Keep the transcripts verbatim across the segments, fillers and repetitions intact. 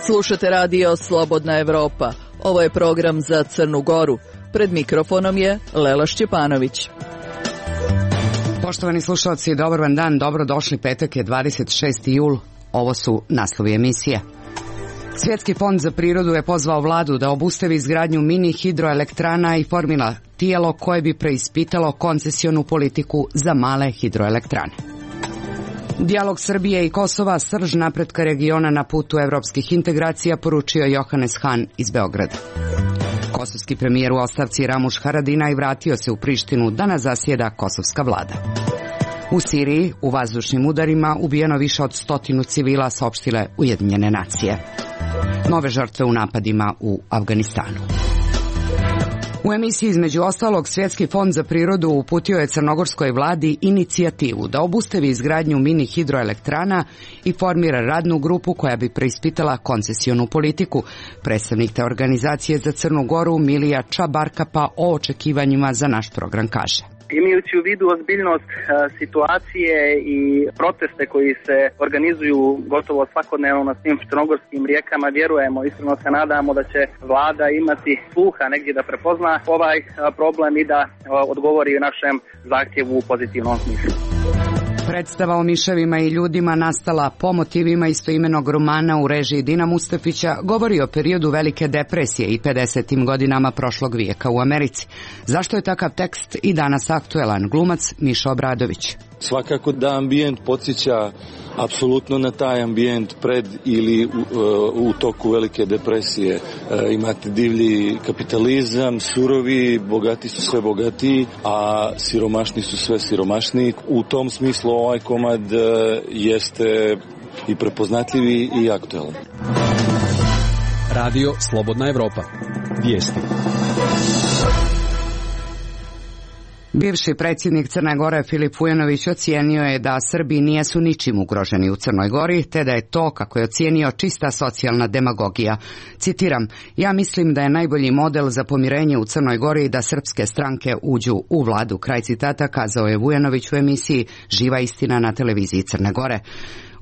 Slušate radio Slobodna Evropa. Ovo je program za Crnu Goru. Pred mikrofonom je Lela Šćepanović. Poštovani slušalci, dobar vam dan, dobrodošli, petak je dvadeset šesti jul. Ovo su naslovi emisije. Svjetski fond za prirodu je pozvao vladu da obustavi izgradnju mini hidroelektrana i formira tijelo koje bi preispitalo koncesionu politiku za male hidroelektrane. Dijalog Srbije i Kosova, srž napretka regiona na putu evropskih integracija, poručio Johannes Hahn iz Beograda. Kosovski premijer u ostavci Ramuš Haradinaj vratio se u Prištinu da nas zasjeda kosovska vlada. U Siriji u vazdušnim udarima ubijeno više od stotinu civila, saopštile Ujedinjene nacije. Nove žrtve u napadima u Afganistanu. U emisiji između ostalog Svjetski fond za prirodu uputio je crnogorskoj vladi inicijativu da obustavi izgradnju mini hidroelektrana i formira radnu grupu koja bi preispitala koncesionu politiku. Predstavnik te organizacije za Crnu Goru Milija Čabarkapa o očekivanjima za naš program kaže: Imajući u vidu ozbiljnost a, situacije i proteste koji se organizuju gotovo svakodnevno na svim crnogorskim rijekama, vjerujemo, iskreno se nadamo da će vlada imati sluha negdje da prepozna ovaj a, problem i da a, odgovori našem zahtjevu u pozitivnom smislu. Predstava o miševima i ljudima nastala po motivima istoimenog romana u režiji Dina Mustafića govori o periodu velike depresije i pedesetim godinama prošlog vijeka u Americi. Zašto je takav tekst i danas aktuelan? Glumac Miša Obradović. Svakako da ambijent podsjeća apsolutno na taj ambijent pred ili u, u toku velike depresije. E, imate divlji kapitalizam, surovi, bogati su sve bogatiji, a siromašni su sve siromašniji. U tom smislu ovaj komad e, jeste i prepoznatljivi i aktuelan. Radio Slobodna Evropa. Vijesti. Bivši predsjednik Crne Gore Filip Vujanović ocijenio je da Srbi nijesu ničim ugroženi u Crnoj Gori, te da je to, kako je ocijenio, čista socijalna demagogija. Citiram: ja mislim da je najbolji model za pomirenje u Crnoj Gori da srpske stranke uđu u vladu. Kraj citata, kazao je Vujanović u emisiji Živa istina na televiziji Crne Gore.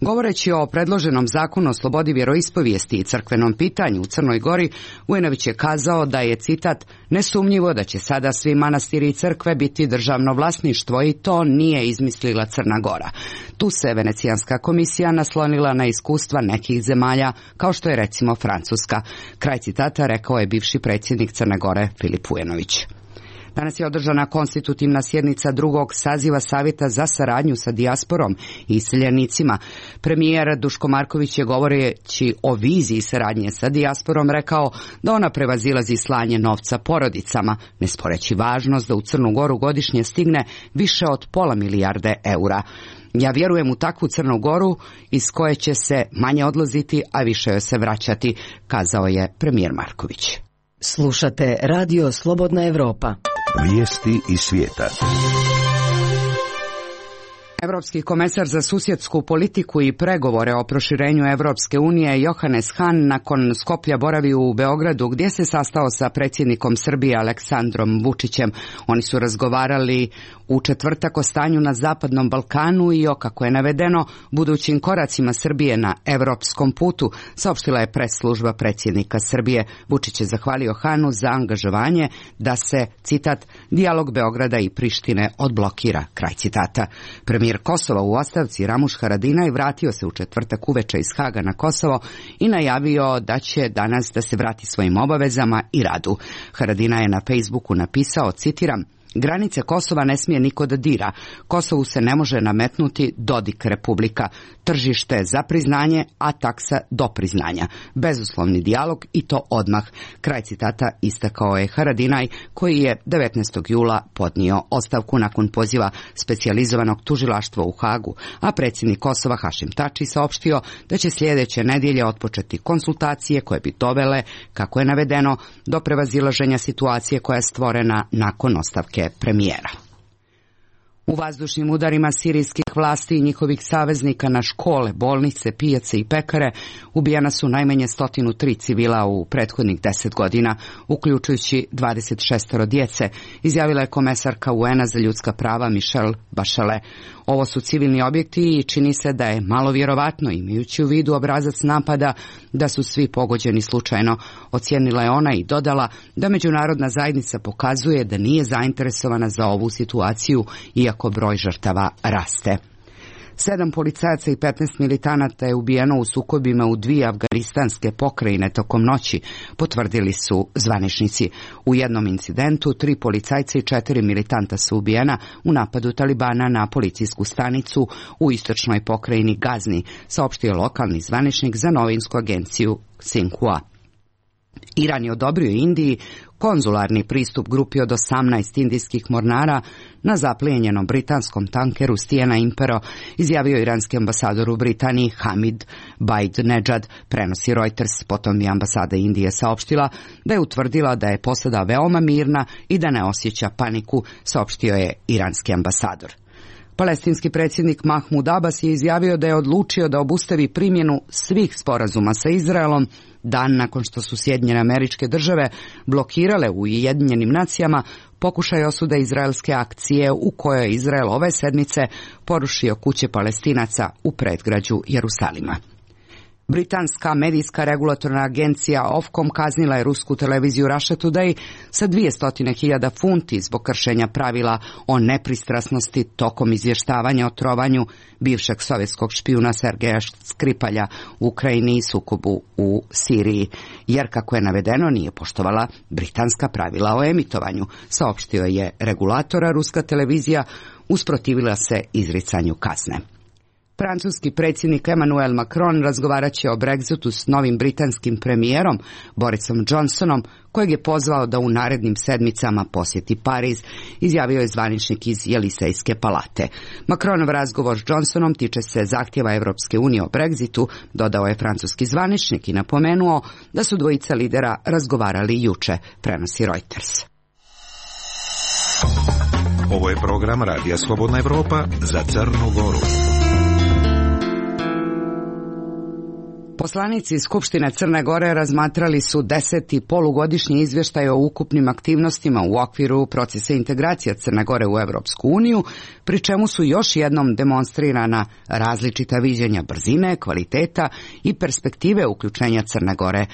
Govoreći o predloženom zakonu o slobodi vjeroispovijesti i crkvenom pitanju u Crnoj Gori, Vujanović je kazao da je, citat, nesumnjivo da će sada svi manastiri i crkve biti državno vlasništvo i to nije izmislila Crna Gora. Tu se Venecijanska komisija naslonila na iskustva nekih zemalja, kao što je recimo Francuska. Kraj citata, rekao je bivši predsjednik Crne Gore Filip Vujanović. Danas je održana konstitutivna sjednica drugog saziva Savjeta za saradnju sa dijasporom i iseljenicima. Premijer Duško Marković je, govoreći o viziji saradnje sa dijasporom, rekao da ona prevazilazi slanje novca porodicama, ne sporeći važnost da u Crnu Goru godišnje stigne više od pola milijarde eura. Ja vjerujem u takvu Crnu Goru iz koje će se manje odlaziti, a više joj se vraćati, kazao je premijer Marković. Slušate radio Slobodna Evropa. Vijesti iz svijeta. Evropski komesar za susjedsku politiku i pregovore o proširenju Evropske unije Johannes Hahn nakon Skoplja boravi u Beogradu, gdje se sastao sa predsjednikom Srbije Aleksandrom Vučićem. Oni su razgovarali u četvrtak o stanju na Zapadnom Balkanu i o, kako je navedeno, budućim koracima Srbije na evropskom putu, saopštila je pres služba predsjednika Srbije. Vučić je zahvalio Hahnu za angažovanje da se, citat, dijalog Beograda i Prištine odblokira, kraj citata. Premijer Kosova u ostavci Ramuš Haradinaj vratio se u četvrtak uveče iz Haga na Kosovo i najavio da će danas da se vrati svojim obavezama i radu. Haradinaj je na Facebooku napisao, citiram: granice Kosova ne smije niko da dira. Kosovu se ne može nametnuti Dodik republika. Tržište za priznanje, a taksa do priznanja. Bezuslovni dijalog i to odmah. Kraj citata istakao je Haradinaj, koji je devetnaestog jula podnio ostavku nakon poziva specijalizovanog tužilaštva u Hagu, a predsjednik Kosova Hašim Tači saopštio da će sljedeće nedjelje otpočeti konsultacije koje bi dovele, kako je navedeno, do prevazilaženja situacije koja je stvorena nakon ostavke premijera. U vazdušnim udarima sirijskih atak vlasti i njihovih saveznika na škole, bolnice, pijace i pekare, ubijena su najmanje sto tri civila u prethodnih deset godina, uključujući dvadeset šest djece, izjavila je komesarka U N-a za ljudska prava Michelle Bachelet. Ovo su civilni objekti i čini se da je malo vjerovatno, imajući u vidu obrazac napada, da su svi pogođeni slučajno, ocijenila je ona i dodala da međunarodna zajednica pokazuje da nije zainteresovana za ovu situaciju, iako broj žrtava raste. Sedam policajaca i petnaest militanata je ubijeno u sukobima u dvije afganistanske pokrajine tokom noći, potvrdili su zvaničnici. U jednom incidentu tri policajca i četiri militanta su ubijena u napadu Talibana na policijsku stanicu u istočnoj pokrajini Gazni, saopštio lokalni zvaničnik za novinsku agenciju Xinhua. Iran je odobrio Indiji konzularni pristup grupi od osamnaest indijskih mornara na zaplijenjenom britanskom tankeru Stijena Impero, izjavio iranski ambasador u Britaniji Hamid Baid-Nedžad, prenosi Reuters. Potom je ambasada Indije saopštila da je utvrdila da je posada veoma mirna i da ne osjeća paniku, saopštio je iranski ambasador. Palestinski predsjednik Mahmud Abbas je izjavio da je odlučio da obustavi primjenu svih sporazuma sa Izraelom dan nakon što su Sjedinjene Američke Države blokirale u Ujedinjenim nacijama pokušaj osude izraelske akcije u kojoj je Izrael ove sedmice porušio kuće Palestinaca u predgrađu Jerusalima. Britanska medijska regulatorna agencija Ofcom kaznila je rusku televiziju Russia Today sa dvjesto hiljada funti zbog kršenja pravila o nepristrasnosti tokom izvještavanja o trovanju bivšeg sovjetskog špijuna Sergeja Skripalja u Ukrajini i sukobu u Siriji, jer kako je navedeno nije poštovala britanska pravila o emitovanju, saopštio je regulatora. Ruska televizija usprotivila se izricanju kazne. Francuski predsjednik Emmanuel Macron razgovarat će o Brexitu s novim britanskim premijerom Borisom Johnsonom, kojeg je pozvao da u narednim sedmicama posjeti Pariz, izjavio je zvaničnik iz Jelisejske palate. Macronov razgovor s Johnsonom tiče se zahtjeva Europske unije o Brexitu, dodao je francuski zvaničnik i napomenuo da su dvojica lidera razgovarali juče, prenosi Reuters. Ovo je program Radija Slobodna Evropa za Crnu Goru. Poslanici Skupštine Crne Gore razmatrali su deseti polugodišnji izvještaj o ukupnim aktivnostima u okviru procesa integracija Crne Gore u Europsku uniju, pri čemu su još jednom demonstrirana različita viđenja brzine, kvaliteta i perspektive uključenja Crne Gore,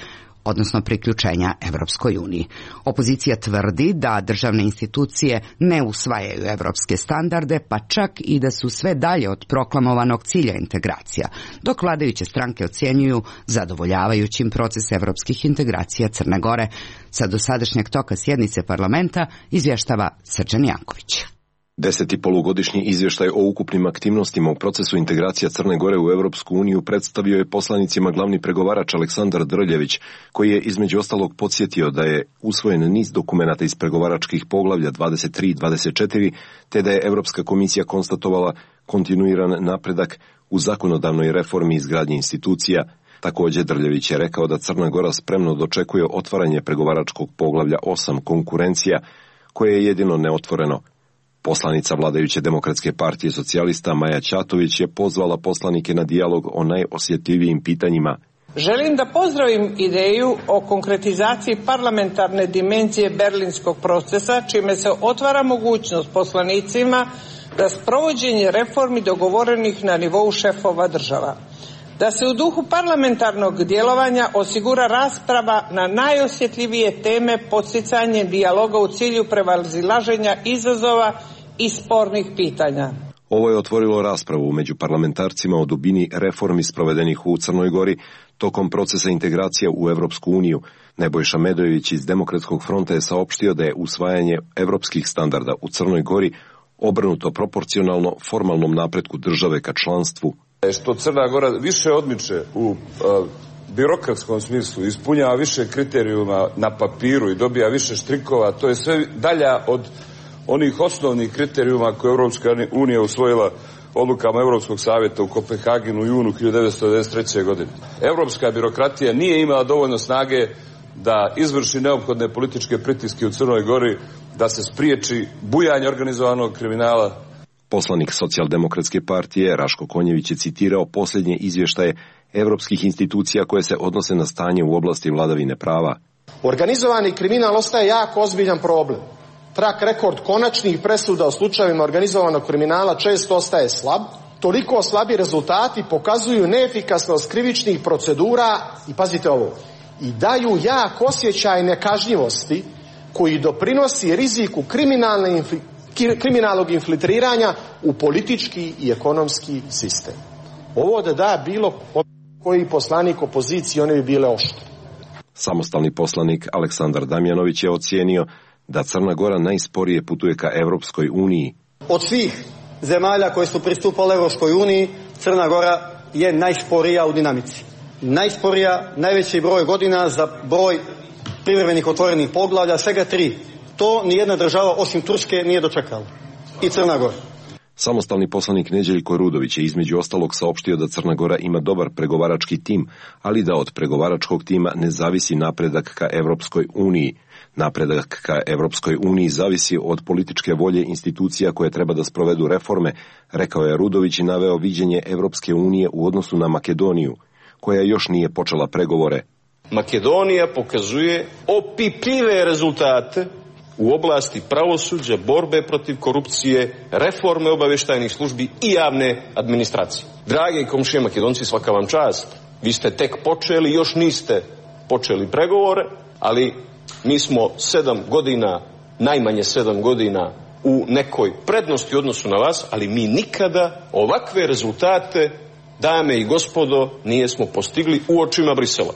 odnosno priključenja Evropskoj uniji. Opozicija tvrdi da državne institucije ne usvajaju evropske standarde, pa čak i da su sve dalje od proklamovanog cilja integracija, dok vladajuće stranke ocjenjuju zadovoljavajućim proces evropskih integracija Crne Gore. Sa dosadašnjeg toka sjednice parlamenta izvještava Srđan Janković. Deseti polugodišnji izvještaj o ukupnim aktivnostima u procesu integracija Crne Gore u Europsku uniju predstavio je poslanicima glavni pregovarač Aleksandar Drljević, koji je između ostalog podsjetio da je usvojen niz dokumenata iz pregovaračkih poglavlja dvadeset tri i dvadeset četiri, te da je Europska komisija konstatovala kontinuiran napredak u zakonodavnoj reformi izgradnje institucija. Također Drljević je rekao da Crna Gora spremno dočekuje otvaranje pregovaračkog poglavlja osam konkurencija, koje je jedino neotvoreno. Poslanica vladajuće Demokratske partije socijalista Maja Ćatović je pozvala poslanike na dijalog o najosjetljivijim pitanjima. Želim da pozdravim ideju o konkretizaciji parlamentarne dimenzije berlinskog procesa, čime se otvara mogućnost poslanicima da sprovođenje reformi dogovorenih na nivou šefova država. Da se u duhu parlamentarnog djelovanja osigura rasprava na najosjetljivije teme podsticanjem dijaloga u cilju prevazilaženja izazova i spornih pitanja. Ovo je otvorilo raspravu među parlamentarcima o dubini reformi sprovedenih u Crnoj Gori tokom procesa integracija u Europsku uniju. Nebojša Medojević iz Demokratskog fronta je saopštio da je usvajanje evropskih standarda u Crnoj Gori obrnuto proporcionalno formalnom napretku države ka članstvu. Što Crna Gora više odmiče u uh, birokratskom smislu, ispunjava više kriterijuma na papiru i dobija više štrikova, to je sve dalja od onih osnovnih kriterijuma koje Europska unija usvojila odlukama Europskog savjeta u Kopenhagenu u junu hiljadu devetsto devedeset treće. godine. Europska birokratija nije imala dovoljno snage da izvrši neophodne političke pritiske u Crnoj Gori, da se spriječi bujanje organizovanog kriminala. Poslanik Socijaldemokratske partije Raško Konjević je citirao posljednje izvještaje evropskih institucija koje se odnose na stanje u oblasti vladavine prava. Organizovani kriminal ostaje jako ozbiljan problem. Track rekord konačnih presuda u slučajevima organizovanog kriminala često ostaje slab. Toliko slabi rezultati pokazuju neefikasnost krivičnih procedura i, pazite ovo, i daju jak osjećaj nekažnjivosti koji doprinosi riziku kriminalne infli, kriminalnog infiltriranja u politički i ekonomski sistem. Ovo da da bilo koji poslanik opozicije, one bi bile oštre. Samostalni poslanik Aleksandar Damjanović je ocijenio da Crna Gora najsporije putuje ka Evropskoj uniji. Od svih zemalja koje su pristupale Evropskoj uniji, Crna Gora je najsporija u dinamici. Najsporija, najveći broj godina za broj privremenih otvorenih poglavlja, svega tri. To nijedna država osim Turske nije dočekala. I Crna Gora. Samostalni poslanik Neđeljko Rudović je između ostalog saopštio da Crna Gora ima dobar pregovarački tim, ali da od pregovaračkog tima ne zavisi napredak ka Evropskoj uniji. Napredak ka Evropskoj uniji zavisi od političke volje institucija koje treba da sprovedu reforme, rekao je Rudović i naveo viđenje Evropske unije u odnosu na Makedoniju, koja još nije počela pregovore. Makedonija pokazuje opipljive rezultate u oblasti pravosuđa, borbe protiv korupcije, reforme obavještajnih službi i javne administracije. Drage komšije Makedonci, svaka vam čast. Vi ste tek počeli, još niste počeli pregovore, ali mi smo sedam godina, najmanje sedam godina u nekoj prednosti u odnosu na vas, ali mi nikada ovakve rezultate, dame i gospodo, nijesmo postigli u očima Brisela.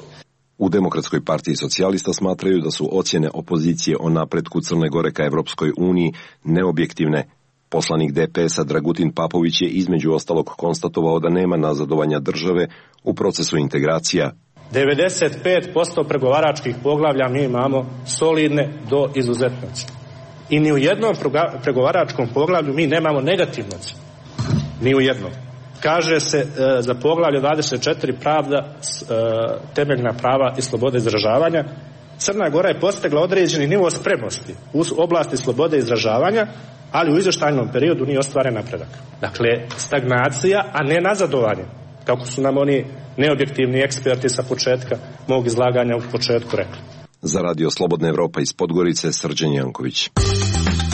U Demokratskoj partiji socijalista smatraju da su ocjene opozicije o napretku Crne Gore ka Evropskoj uniji neobjektivne. Poslanik D P S-a Dragutin Papović je između ostalog konstatovao da nema nazadovanja države u procesu integracija. devedeset pet posto pregovaračkih poglavlja mi imamo solidne do izuzetnosti. I ni u jednom pregovaračkom poglavlju mi nemamo negativnosti. Ni u jednom. Kaže se e, za poglavlje dvadeset četiri pravda, e, temeljna prava i slobode izražavanja. Crna Gora je postigla određeni nivo spremnosti u oblasti slobode izražavanja, ali u izvještajnom periodu nije ostvaren napredak. Dakle, stagnacija, a ne nazadovanje, kako su nam oni neobjektivni eksperti sa početka mog izlaganja u početku rekli. Za radio Slobodna Evropa iz Podgorice, Srđan Janković.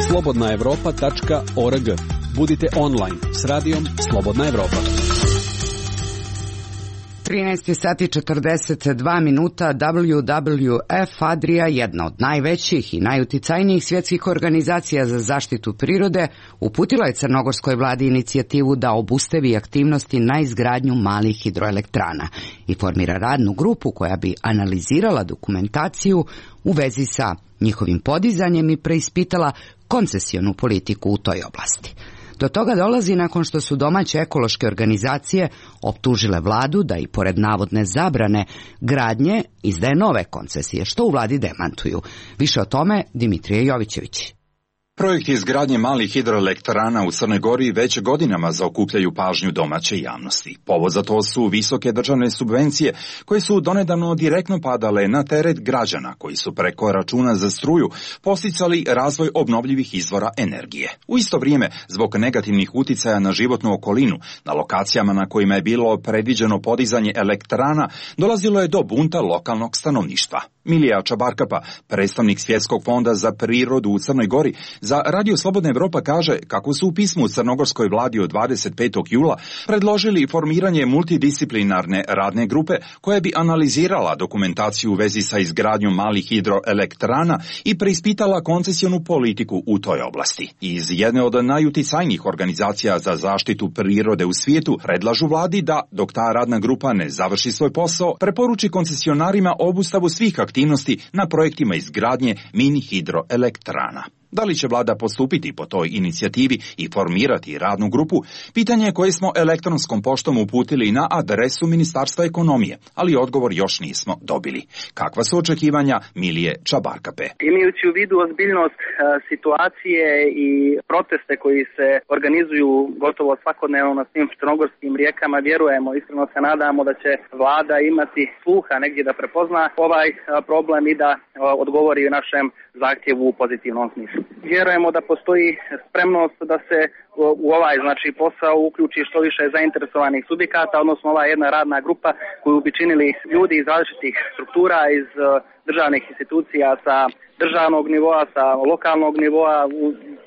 slobodna evropa tačka org. Budite online s radijom Slobodna Evropa. trinaest sati četrdeset dva minuta. W W F Adria, jedna od najvećih i najuticajnijih svjetskih organizacija za zaštitu prirode, uputila je crnogorskoj vladi inicijativu da obustavi aktivnosti na izgradnju malih hidroelektrana i formira radnu grupu koja bi analizirala dokumentaciju u vezi sa njihovim podizanjem i preispitala koncesionu politiku u toj oblasti. Do toga dolazi nakon što su domaće ekološke organizacije optužile vladu da i pored navodne zabrane gradnje izdaje nove koncesije, što u vladi demantuju. Više o tome Dimitrije Jovićević. Projekti izgradnje malih hidroelektrana u Crnoj Gori već godinama zaokupljaju pažnju domaće javnosti. Povod za to su visoke državne subvencije koje su donedavno direktno padale na teret građana koji su preko računa za struju posticali razvoj obnovljivih izvora energije. U isto vrijeme, zbog negativnih uticaja na životnu okolinu, na lokacijama na kojima je bilo predviđeno podizanje elektrana, dolazilo je do bunta lokalnog stanovništva. Milija Čabarkapa, predstavnik Svjetskog fonda za prirodu u Crnoj Gori, za Radio Slobodna Evropa kaže kako su u pismu crnogorskoj vladi od dvadeset petog jula predložili formiranje multidisciplinarne radne grupe koja bi analizirala dokumentaciju u vezi sa izgradnjom malih hidroelektrana i preispitala koncesionu politiku u toj oblasti. Iz jedne od najuticajnijih organizacija za zaštitu prirode u svijetu predlažu vladi da, dok ta radna grupa ne završi svoj posao, preporuči koncesionarima obustavu svih aktivnosti na projektima izgradnje mini hidroelektrana. Da li će vlada postupiti po toj inicijativi i formirati radnu grupu? Pitanje koje smo elektronskom poštom uputili na adresu Ministarstva ekonomije, ali odgovor još nismo dobili. Kakva su očekivanja Milije Čabarkape? Imajući u vidu ozbiljnost e, situacije i proteste koji se organizuju gotovo svakodnevno na svim crnogorskim rijekama, vjerujemo, iskreno se nadamo da će vlada imati sluha negdje da prepozna ovaj a, problem i da a, odgovori našem zahtjevu u pozitivnom smislu. Vjerujemo da postoji spremnost da se u ovaj znači posao uključi što više zainteresovanih subjekata, odnosno ova jedna radna grupa koju bi činili ljudi iz različitih struktura, iz državnih institucija sa državnog nivoa, sa lokalnog nivoa,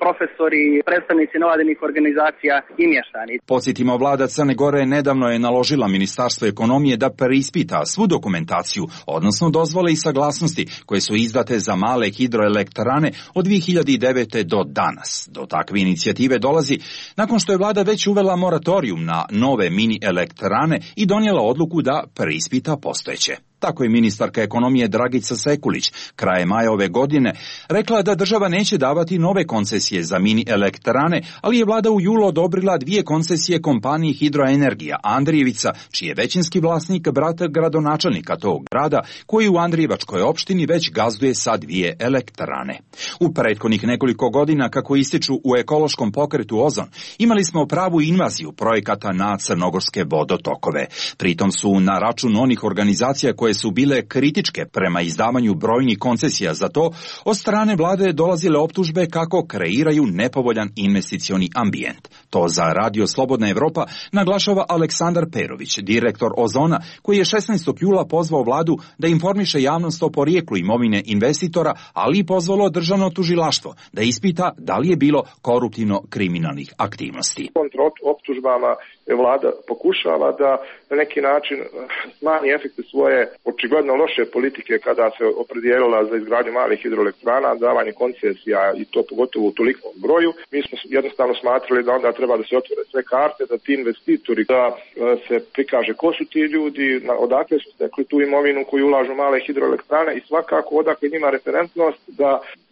profesori, predstavnici nevladinih organizacija i mještani. Podsjetimo, vlada Crne Gore nedavno je naložila Ministarstvu ekonomije da preispita svu dokumentaciju, odnosno dozvole i saglasnosti koje su izdate za male hidroelektrane od dvije hiljade devete. do danas. Do takve inicijative dolazi nakon što je vlada već uvela moratorijum na nove mini elektrane i donijela odluku da preispita postojeće. Tako je ministarka ekonomije Dragica Sekulić krajem maja ove godine rekla da država neće davati nove koncesije za mini elektrane, ali je vlada u julu odobrila dvije koncesije kompaniji Hidroenergija Andrijevica, čiji je većinski vlasnik brat gradonačelnika tog grada, koji u Andrijevačkoj opštini već gazduje sa dvije elektrane. U prethodnih nekoliko godina, kako ističu u ekološkom pokretu Ozon, imali smo pravu invaziju projekata na crnogorske vodotokove. Pritom su na račun onih organizacija koje su bile kritičke prema izdavanju brojnih koncesija za to, od strane vlade dolazile optužbe kako kreiraju nepovoljan investicioni ambijent. To za Radio Slobodna Evropa naglašava Aleksandar Perović, direktor Ozona, koji je šesnaestog jula pozvao vladu da informiše javnost o porijeklu imovine investitora, ali i pozvalo državno tužilaštvo da ispita da li je bilo koruptivno-kriminalnih aktivnosti. Kontra optužbama vlada pokušava da na neki način smanji efekte svoje očigledno loše politike kada se opredijelila za izgradnju malih hidroelektrana, davanje koncesija i to pogotovo u tolikom broju. Mi smo jednostavno smatrali da onda treba da se otvore sve karte, da ti investitori, da se prikaže ko su ti ljudi, odakle su stekli tu imovinu koju ulažu male hidroelektrane i svakako odakle njima referentnost da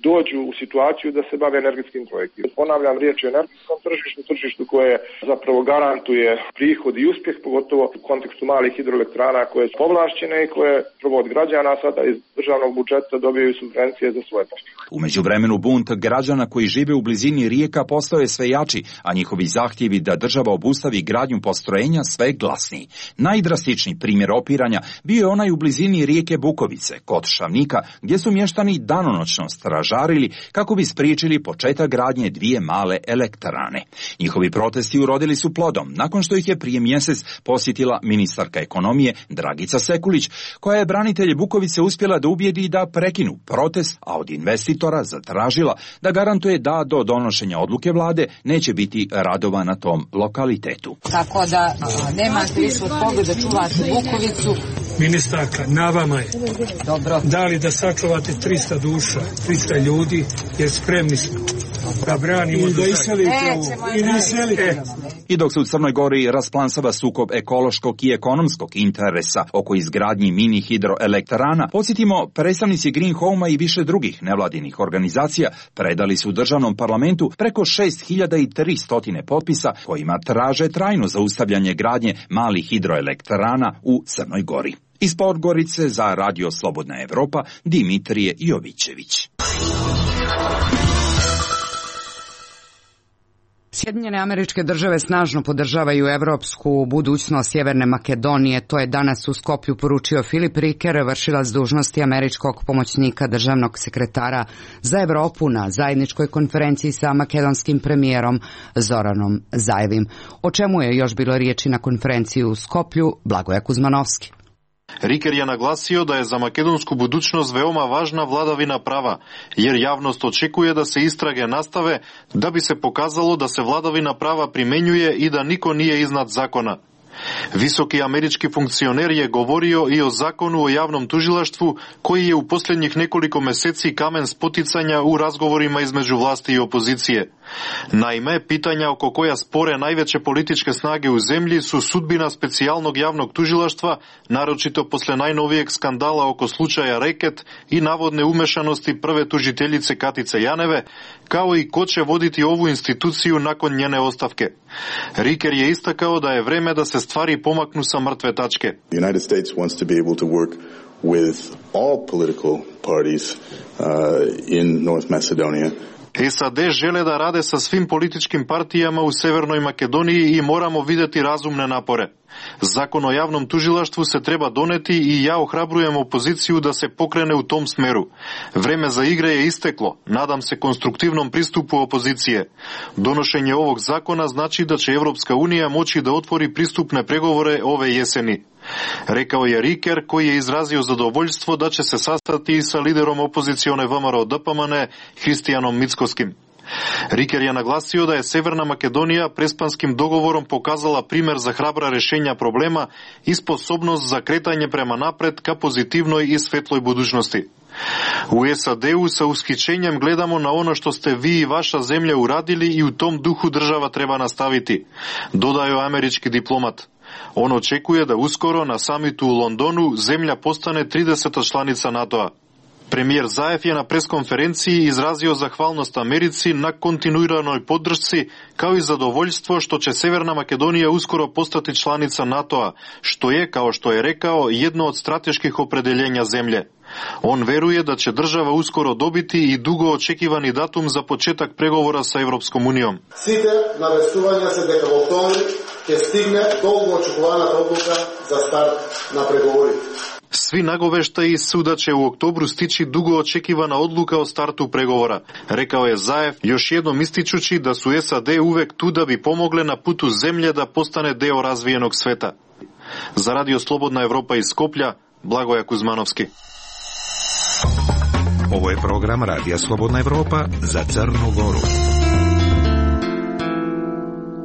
dođu u situaciju da se bave energetskim projektima. Ponavljam, riječ je o energetskom tržištu, tržištu koje zapravo garantuje prihod i uspjeh, pogotovo u kontekstu malih hidroelektrana koje su povlašćene i koje prvo od građana sada iz državnog budžeta dobijaju subvencije za svoje postupke. U međuvremenu bunt građana koji žive u blizini rijeka postao je sve jači, a njihovi zahtjevi da država obustavi gradnju postrojenja sve glasniji. Najdrastičniji primjer opiranja bio je onaj u blizini rijeke Bukovice, kod Šavnika, gdje su mještani danonoćno stražarili kako bi spriječili početak gradnje dvije male elektrane. Njihovi protesti urodili su plodom, nakon što ih je prije mjesec posjetila ministarka ekonomije Dragica Sekulić, koja je branitelje Bukovice uspjela da ubijedi da prekinu protest, a od investitora zatražila da garantuje da do donošenja odluke vlade neće biti radova na tom lokalitetu. Tako da nemate više od koga da čuvate Bukovicu. Ministarka, na vama je. Dobro. Da li da sačuvate trista duša, trista ljudi, jer spremni smo da branimo i da iselite ovo. I da iselite. I dok se u Crnoj Gori rasplansava sukob ekološkog i ekonomskog interesa oko izgradnji mini hidroelektrana, podsjetimo, predstavnici Green Home-a i više drugih nevladinih organizacija predali su državnom parlamentu preko šest hiljada tristo potpisa kojima traže trajno zaustavljanje gradnje malih hidroelektrana u Crnoj Gori. Iz Podgorice za Radio Slobodna Evropa, Dimitrije Jovićević. Sjedinjene Američke Države snažno podržavaju evropsku budućnost Sjeverne Makedonije. To je danas u Skoplju poručio Filip Riker, vršilac dužnosti američkog pomoćnika državnog sekretara za Evropu na zajedničkoj konferenciji sa makedonskim premijerom Zoranom Zajevim. O čemu je još bilo riječi na konferenciji u Skoplju, Blagoje Kuzmanovski. Riker je naglasio da je za makedonsku budućnost veoma važna vladavina prava, jer javnost očekuje da se istrage nastave da bi se pokazalo da se vladavina prava primenjuje i da niko nije iznad zakona. Visoki američki funkcioner je govorio i o zakonu o javnom tužilaštvu, koji je u posljednjih nekoliko mjeseci kamen spoticanja u razgovorima između vlasti i opozicije. Naime, pitanja oko koja spore najveće političke snage u zemlji su sudbina specijalnog javnog tužilaštva, naročito posle najnovijeg skandala oko slučaja Reket i navodne umešanosti prve tužiteljice Katice Janeve, kao i ko će voditi ovu instituciju nakon njene ostavke. Riker je istakao da je vreme da se stvari pomaknu sa mrtve tačke. The United States wants to be able to work with all political parties uh, in North Macedonia S A D žele da rade sa svim političkim partijama u Severnoj Makedoniji i moramo videti razumne napore. Zakon o javnom tužilaštvu se treba doneti i ja ohrabrujem opoziciju da se pokrene u tom smeru. Vreme za igre je isteklo. Nadam se konstruktivnom pristupu opozicije. Donošenje ovog zakona znači da će Evropska unija moći da otvori pristupne pregovore ove jeseni. Rekao je Riker, koji je izrazio zadovoljstvo da će se sastati i sa liderom opozicione V M R O D P M N Hristijanom Mickoskim. Riker je naglasio da je Severna Makedonija prespanskim dogovorom pokazala primer za hrabra rešenja problema i sposobnost za kretanje prema napred ka pozitivnoj i svetloj budućnosti. U S A D-u sa ushićenjem gledamo na ono što ste vi i vaša zemlja uradili i u tom duhu država treba nastaviti, dodao američki diplomat. On očekuje da uskoro na samitu u Londonu zemlja postane trideseta članica NATO-a. Premijer Zaev je na preskonferenciji izrazio zahvalnost Americi na kontinuiranoj podršci, kao i zadovoljstvo što će Severna Makedonija uskoro postati članica NATO-a, što je, kao što je rekao, jedno od strateških opredeljenja zemlje. On veruje da će država uskoro dobiti i dugo očekivani datum za početak pregovora sa Evropskom unijom. Сите навестувања се дека во октомври ќе стигне долго очекуваната одлука за старт на преговорите. Svi nagoveštaji su da će u oktobru stići dugo očekivana odluka o startu pregovora, rekao je Zaev, još jednom ističući da su S A D uvek tu da bi pomogle na putu zemlje da postane deo razvijenog sveta. Za Radio Slobodna Evropa iz Skoplja, Blagoja Kuzmanovski. Ovo je program Radija Slobodna Evropa za Crnu Goru.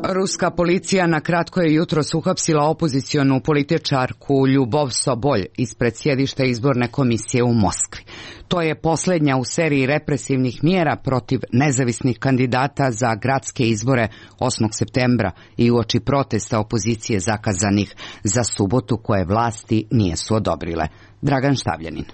Ruska policija na kratko je jutros uhapsila opozicionu političarku Ljubov Sobolj ispred sjedišta izborne komisije u Moskvi. To je posljednja u seriji represivnih mjera protiv nezavisnih kandidata za gradske izbore osmog septembra i uoči protesta opozicije zakazanih za subotu koje vlasti nisu odobrile. Dragan Štavljanin.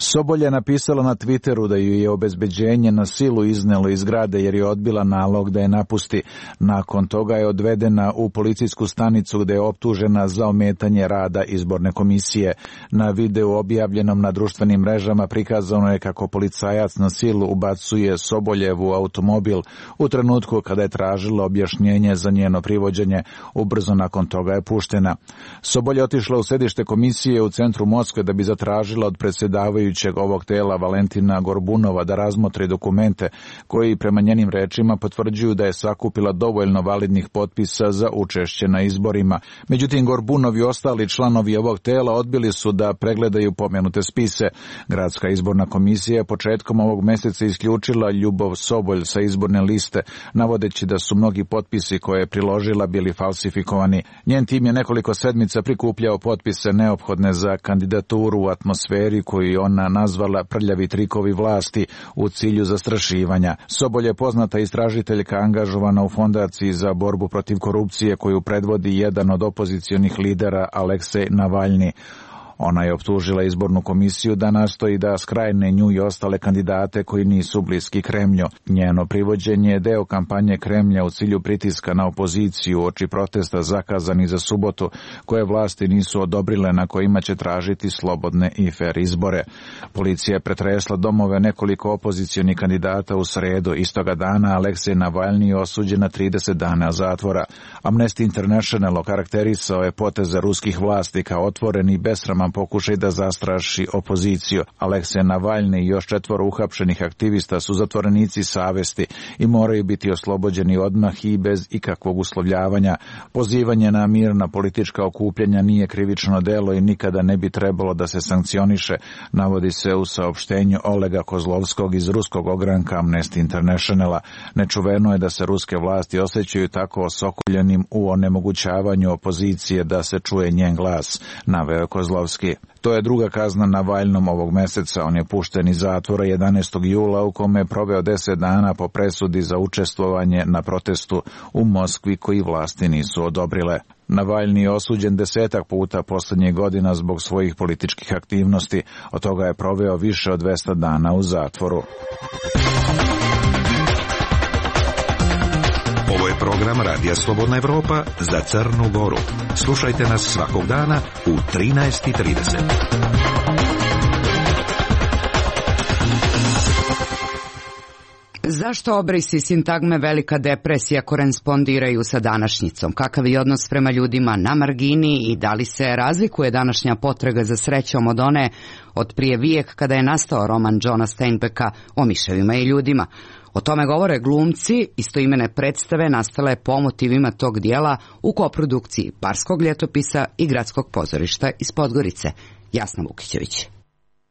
Sobolj je napisala na Twitteru da ju je obezbeđenje na silu iznelo iz zgrade jer je odbila nalog da je napusti. Nakon toga je odvedena u policijsku stanicu gde je optužena za ometanje rada izborne komisije. Na videu objavljenom na društvenim mrežama prikazano je kako policajac na silu ubacuje Soboljevu automobil u trenutku kada je tražila objašnjenje za njeno privođenje. Ubrzo nakon toga je puštena. Sobolj je otišla u sedište komisije u centru Moskve da bi zatražila od predsjedavaju ovog tela Valentina Gorbunova da razmotri dokumente koji prema njenim rečima potvrđuju da je sakupila dovoljno validnih potpisa za učešće na izborima. Međutim, Gorbunov i ostali članovi ovog tela odbili su da pregledaju pomenute spise. Gradska izborna komisija je početkom ovog mjeseca isključila Ljubov Sobolj sa izborne liste, navodeći da su mnogi potpisi koje je priložila bili falsifikovani. Njen tim je nekoliko sedmica prikupljao potpise neophodne za kandidaturu u atmosferi koju on nazvala prljavi trikovi vlasti u cilju zastrašivanja. Sobolj je poznata istražiteljka angažovana u fondaciji za borbu protiv korupcije koju predvodi jedan od opozicionih lidera Aleksej Navalni. Ona je optužila izbornu komisiju da nastoji da skrajne nju i ostale kandidate koji nisu bliski Kremlju. Njeno privođenje je deo kampanje Kremlja u cilju pritiska na opoziciju oči protesta zakazani za subotu, koje vlasti nisu odobrile, na kojima će tražiti slobodne i fer izbore. Policija je pretresla domove nekoliko opozicionih kandidata u sredu. Istoga dana Aleksej Navalni je osuđen na trideset dana zatvora. Amnesty International okarakterisao je poteze ruskih vlasti kao otvoren i besraman pokušaj da zastraši opoziciju. Aleksej Navalni i još četvoro uhapšenih aktivista su zatvorenici savesti i moraju biti oslobođeni odmah i bez ikakvog uslovljavanja. Pozivanje na mirna politička okupljanja nije krivično delo i nikada ne bi trebalo da se sankcioniše, navodi se u saopštenju Olega Kozlovskog iz ruskog ogranka Amnesty Internationala. Nečuveno je da se ruske vlasti osjećaju tako osokoljenim u onemogućavanju opozicije da se čuje njen glas, naveo je Kozlovski. To je druga kazna Navalnom ovog meseca. On je pušten iz zatvora jedanaestog jula u kome je proveo deset dana po presudi za učestvovanje na protestu u Moskvi koji vlasti nisu odobrile. Navalni je osuđen desetak puta posljednjih godina zbog svojih političkih aktivnosti. Od toga je proveo više od dvesta dana u zatvoru. Ovo je program Radija Slobodna Evropa za Crnu Goru. Slušajte nas svakog dana u trinaest i trideset. Zašto obrisi sintagme velika depresija korespondiraju sa današnjicom? Kakav je odnos prema ljudima na margini i da li se razlikuje današnja potraga za srećom od one od prije vijek kada je nastao roman Johna Steinbecka o miševima i ljudima? O tome govore glumci istoimene predstave nastale po motivima tog dijela u koprodukciji Barskog ljetopisa i Gradskog pozorišta iz Podgorice. Jasna Vukićević.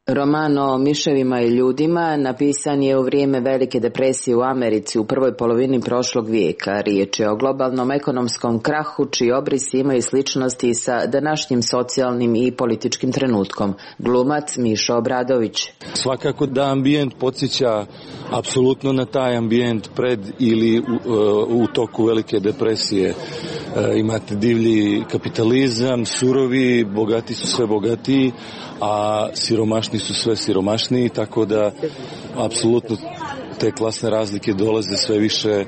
Roman o miševima i ljudima napisan je u vrijeme velike depresije u Americi u prvoj polovini prošlog vijeka. Riječ je o globalnom ekonomskom krahu čiji obrisi imaju sličnosti sa današnjim socijalnim i političkim trenutkom. Glumac Mišo Obradović. Svakako da ambijent podsjeća apsolutno na taj ambijent pred ili u, u toku velike depresije. E, imate divlji kapitalizam, surovi, bogati su sve bogatiji, a siromašni su sve siromašniji, tako da apsolutno te klasne razlike dolaze sve više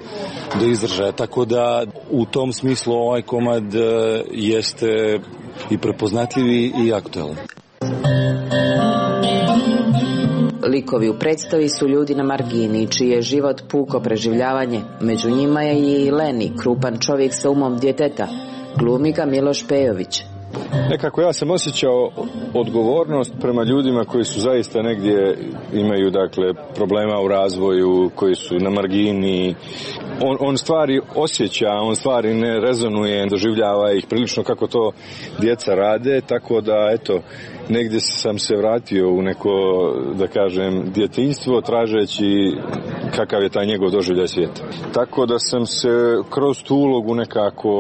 do izražaja. Tako da u tom smislu ovaj komad jeste i prepoznatljivi i aktualan. Likovi u predstavi su ljudi na margini, čiji je život puko preživljavanje. Među njima je i Leni, krupan čovjek sa umom djeteta. Glumi ga Miloš Pejović. Nekako ja sam osjećao odgovornost prema ljudima koji su zaista negdje imaju dakle problema u razvoju, koji su na margini. On, on stvari osjeća, on stvari ne rezonuje, doživljava ih prilično kako to djeca rade, tako da eto, negdje sam se vratio u neko, da kažem, djetinjstvo tražeći kakav je taj njegov doživljaj svijeta. Tako da sam se kroz tu ulogu nekako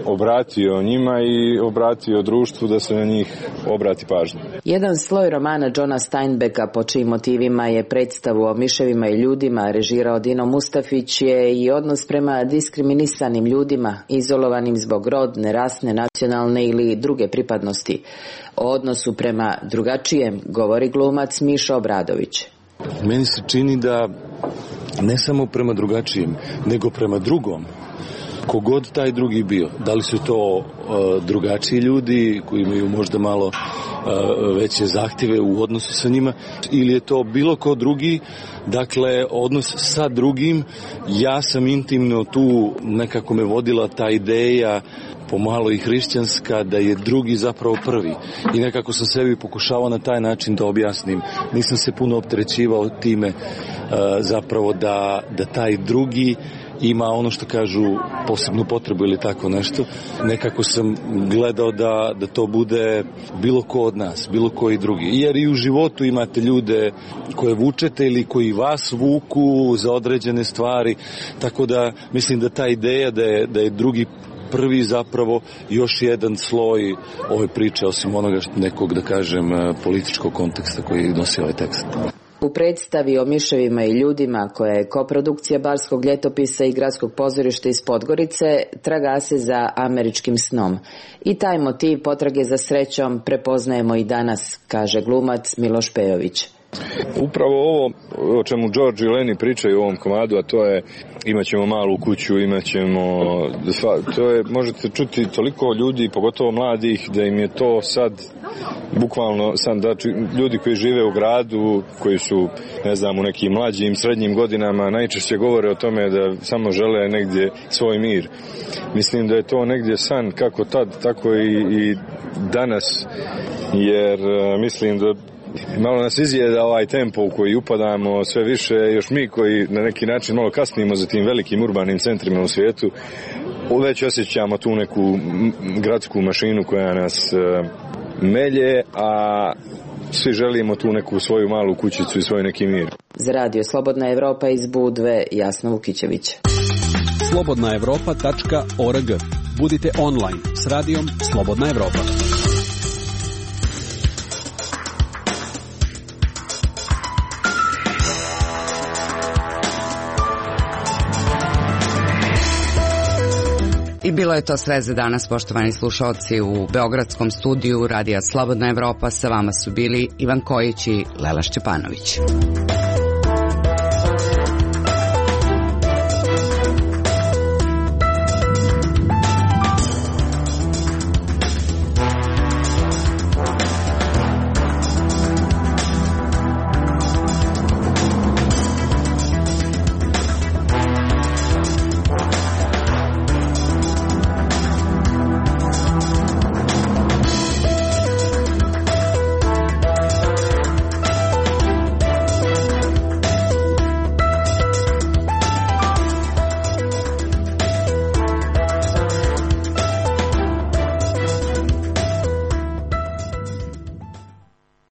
obratio njima i obratio društvu da se na njih obrati pažnja. Jedan sloj romana Johna Steinbecka po čijim motivima je predstavu o miševima i ljudima režirao Dino Mustafić je i odnos prema diskriminisanim ljudima, izolovanim zbog rodne, rasne, nacionalne ili druge pripadnosti. O odnosu prema drugačijem govori glumac Mišo Obradović. Meni se čini da ne samo prema drugačijem, nego prema drugom, kogod taj drugi bio. Da li su to uh, drugačiji ljudi koji imaju možda malo uh, veće zahtjeve u odnosu sa njima, ili je to bilo ko drugi, dakle odnos sa drugim. Ja sam intimno tu, nekako me vodila ta ideja pomalo i hrišćanska, da je drugi zapravo prvi. I nekako sam sebi pokušavao na taj način da objasnim. Nisam se puno opterećivao time uh, zapravo da, da taj drugi ima ono što kažu posebnu potrebu ili tako nešto. Nekako sam gledao da, da to bude bilo ko od nas, bilo koji drugi. Jer i u životu imate ljude koje vučete ili koji vas vuku za određene stvari. Tako da mislim da ta ideja da je, da je drugi prvi zapravo još jedan sloj ove priče, osim onoga nekog, da kažem, političkog konteksta koji nosi ovaj tekst. U predstavi o miševima i ljudima, koja je koprodukcija Barskog ljetopisa i Gradskog pozorišta iz Podgorice, traga se za američkim snom. I taj motiv potrage za srećom prepoznajemo i danas, kaže glumac Miloš Pejović. Upravo ovo o čemu George i Leni pričaju u ovom komadu, a to je imaćemo malu kuću, imaćemo, to je, možete čuti toliko ljudi, pogotovo mladih, da im je to sad bukvalno, sad, znači, ljudi koji žive u gradu, koji su, ne znam, u nekim mlađim, srednjim godinama, najčešće govore o tome da samo žele negdje svoj mir. Mislim da je to negdje san kako tad, tako i, i danas, jer mislim da malo nas izjeda ovaj tempo u koji upadamo sve više, još mi koji na neki način malo kasnimo za tim velikim urbanim centrima u svijetu, već osjećamo tu neku gradsku mašinu koja nas uh, melje, a svi želimo tu neku svoju malu kućicu i svoj neki mir. Za radio Slobodna Evropa iz Budve, Jasna Vukićević. slobodna evropa tačka org. Budite online s radijom Slobodna Evropa. I bilo je to sve za danas, poštovani slušalci. U beogradskom studiju Radija Slobodna Evropa sa vama su bili Ivan Kojić i Lela Šćepanović.